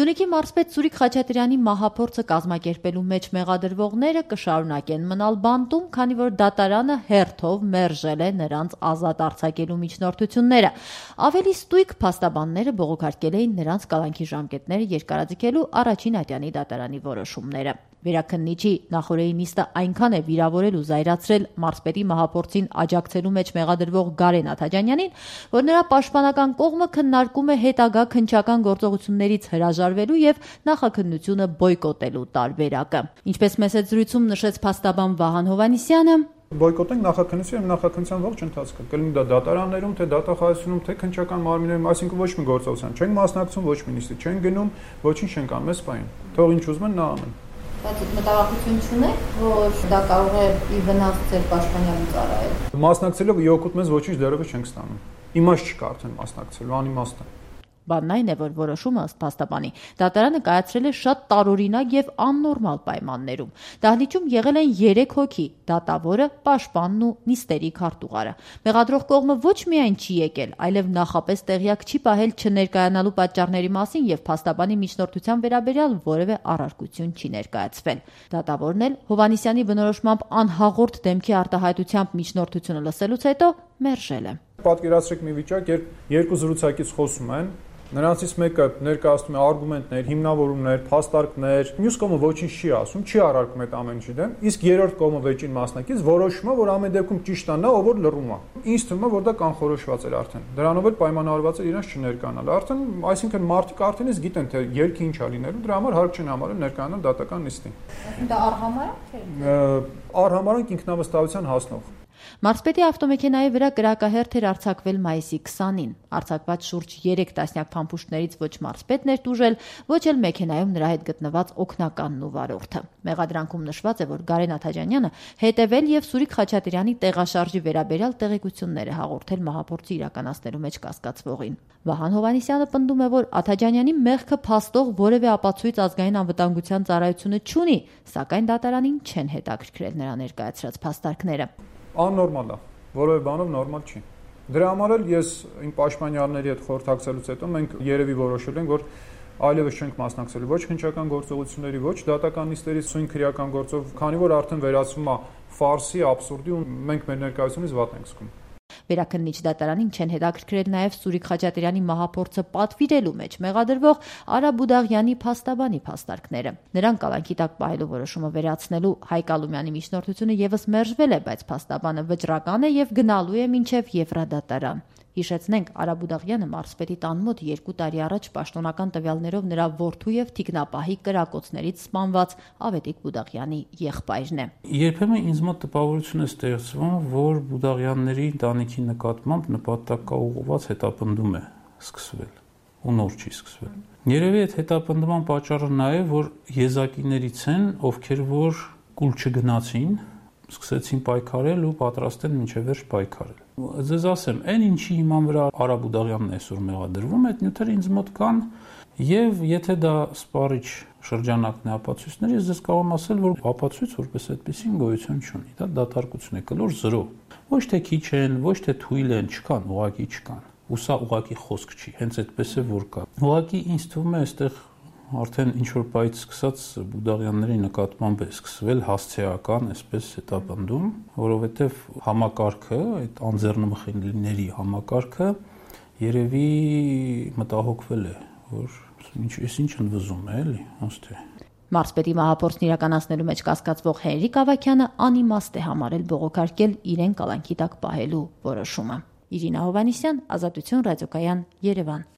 Սյունիքի մարզպետ Սուրիկ Խաչատրյանի մահափորձը կազմակերպելու մեջ մեղադրվողները կշարունակեն մնալ բանտում, քանի որ դատարանը հերթով մերժել է նրանց ազատ արձակելու միջնորդությունները։ Ավելի ստույգ փաստաբանները բողոքարկել էին նրանց կալանքի ժամկետները երկարաձգելու առաջին ատյանի դատարանի որոշումները։ Վերաքննիչի նախօրեի նիստը այնքան է վիրավորել ու զայրացրել մարզպետի մահափորձին աջակցելու մեջ մեղադրվող Գարեն Աթաջանյանին, որ նրա պաշտպանական կողմը քննարկում է հետագա քննչական գործողություններից հրաժարվելու եւ նախաքննությունը բոյկոտելու տարբերակը։ Ինչպես մեծ զրույցում նշեց փաստաբան Վահան Հովհաննիսյանը, բոյկոտենք նախաքննությունը եւ նախաքննության ողջ ընթացքը։ Կլինի դա դատարաններում, թե դատախազությունում, թե քննչական մարմիններում, այսինքն ոչ մի գործողության չենք մասնակցում, ոչ մի նիստի չենք գնում, ոչինչ չենք անում, մեզ պայն։ Թող ինչ ուզում են նա անեն։ Բայց մտավախություն չունեք, որ դա կարող է ի վնաս ձեր պաշտպանյալու ծառայել։ Մասնակցելով ի օգուտ մեզ ոչինչ դեռևս չենք ստանում։ Իմաստ չկա արդեն մասնակցելու, անիմաստ է։ Բանն այն է, որ որոշումը ըստ փաստաբանի դատարանը կայացրել է շատ տարօրինակ եւ աննորմալ պայմաններում։ Դահլիճում եղել են 3 հոգի՝ դատավորը, պաշտպանն ու նիստերի քարտուղարը։ Մեղադրող կողմը ոչ միայն չի եկել, այլև նախապես տեղյակ չի պահել չներկայանալու պատճառների մասին եւ փաստաբանի միջնորդության վերաբերյալ որևէ առարկություն չի ներկայացվել։ Դատավորն էլ Հովհաննիսյանի բնորոշմամբ անհաղորդ դեմքի արտահայտությամբ միջնորդությունը լսելուց հետո մերժել է։ Պատկերացրեք մի վիճակ, երբ երկու զրուցակից խոսում են, նրանցից մեկը ներկայացնում է արգումենտներ, հիմնավորումներ, փաստարկներ, մյուս կողմը ոչինչ չի ասում, չի առարկում այդ ամեն ինչի դեմ, իսկ երրորդ կողմը վեճին մասնակից որոշում է, որ ամեն դեպքում ճիշտ է նա, ով որ լռում է։ Ինձ թվում է, որ դա կանխորոշված էր արդեն։ Դրանով էլ պայմանավորված էր իրենց չներկայանալ։ Արդեն, այսինքն մարդիկ արդեն իսկ գիտեն, թե ելքի ինչ է լինելու, դրա համար հարկ չեն համարել ներկայանալ դատական նիստին։ Դա արհամարհանք է։ Արհամարհանք ինքնավստահության հասնող։ Մարզպետի ավտոմեքենայի վրա կրակահերթ էր արձակվել մայիսի 20-ին։ Արձակված շուրջ 3 տասնյակ փամփուշտներից ոչ մարզպետն էր տուժել, ոչ էլ մեքենայում նրա հետ գտնված օգնականն ու վարորդը։ Մեղադրանքում նշված է, որ Գարեն Աթաջանյանը հետևել եւ Սուրիկ Խաչատրյանի տեղաշարժի վերաբերյալ տեղեկություններ է հաղորդել մահափորձի իրականացնելու մեջ կասկածվողին։ Վահան Հովհաննիսյանը պնդում է, որ Աթաջանյանի մեղքը փաստող որևէ ապացույց ազգային անվտանգության ծառայությունը չունի, սակայն դատարանին չեն հետաքրքրել նրա ներկայացրած փաստարկները։ Աննորմալ է, որևէ բանով նորմալ չի։ Դրա համար էլ ես իմ պաշտպանյալների հետ խորհրդակցելուց հետո մենք երևի որոշել ենք, որ այլևս չենք մասնակցելու ոչ քննչական գործողությունների, ոչ դատական նիստերի սույն քրեական գործով, քանի որ արդեն վերածվում է ֆարսի, աբսուրդի ու մենք մեր ներկայությունից վատ ենք զգում։ Վերաքննիչ դատարանին չեն հետաքրքրել նաև Սուրիկ Խաչատրյանի մահափորձը պատվիրելու մեջ մեղադրվող Արա Բուդաղյանի փաստաբանի փաստարկները։ Նրան կալանքի տակ պահելու որոշումը վերացնելու Հայկ Ալումյանի միջնորդությունը եւս մերժվել է, բայց փաստաբանը վճռական է եւ գնալու է մինչեւ Եվրադատարան։ Հիշեցնենք, Արա Բուդաղյանը մարզպետի տան մոտ 2 տարի առաջ պաշտոնական տվյալներով նրա որդու եւ թիկնապահի կրակոցներից սպանված Ավետիք Բուդաղյանի եղբայրն է։ Երբեմն ինձ մոտ տպավորություն է ստեղծվում, որ Բուդաղյանների ընտանիքի նկատմամբ նպատակաուղղված հետապնդում է սկսվել ու նոր չի սկսվել։ Երևի այդ հետապնդման պատճառը նա է, որ եզակիներից են, ովքեր որ կուլ չգնացին, սկսեցին պայքարել ու պատրաստ են մինչև վերջ պայքարել։ Ձեզ ասեմ, այն ինչի հիման վրա Արա Բուդաղյանն այսօր մեղադրվում, այդ նյութերը ինձ մոտ կան, եւ եթե դա սպառիչ շրջանակն է ապացույցների, ես ձեզ կարող եմ ասել, որ ապացույց որպես այդպեսին գոյություն չունի, դա դատարկություն է, կլոր 0։ Ոչ թե քիչ են, ոչ թե թույլ են, չկան, ուղղակի չկան։ Ու սա ուղղակի խոսք չի, հենց այդպես է որ կա։ Ուղղակի ինձ թվում է, այստեղ արդեն ինչ-որ պայից սկսած Բուդաղյանների նկատմամբ է սկսվել հասցեական այսպես հետապնդում, որովհետև համակարգը, այդ անձեռնմխելիների համակարգը երևի մտահոգվել է, որ ինչ ընդվզում է, էլի, ոնց թե։ Մարզպետի մահափորձն իրականացնելու մեջ կասկածվող Հենրիկ Ավագյանը անիմաստ է համարել բողոքարկել իրեն կալանքի տակ պահելու որոշումը։ Իրինա Հովհաննիսյան, Ազատություն ռադիոկայան, Երևան։